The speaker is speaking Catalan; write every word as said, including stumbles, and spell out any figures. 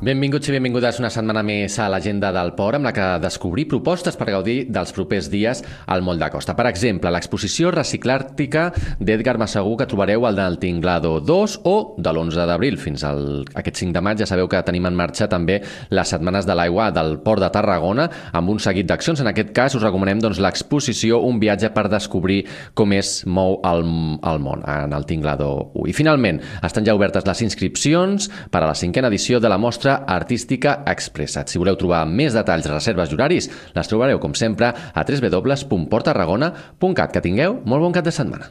Benvinguts i benvingudes una setmana més a l'Agenda del Port, amb la que descobrir propostes per gaudir dels propers dies al Moll de Costa. Per exemple, l'exposició reciclàrtica d'Edgar Massagué que trobareu al del Tinglado dos o de l'onze d'abril fins al aquest cinc de maig. Ja sabeu que tenim en marxa també les setmanes de l'aigua del Port de Tarragona amb un seguit d'accions. En aquest cas us recomanem doncs, l'exposició Un viatge per descobrir com es mou el, el món en el Tinglado u. I finalment, estan ja obertes les inscripcions per a la cinquena edició de la mostra Artística Expressat. Si voleu trobar més detalls, reserves i horaris, les trobareu, com sempre, a w w w punt port tarragona punt cat. Que tingueu molt bon cap de setmana.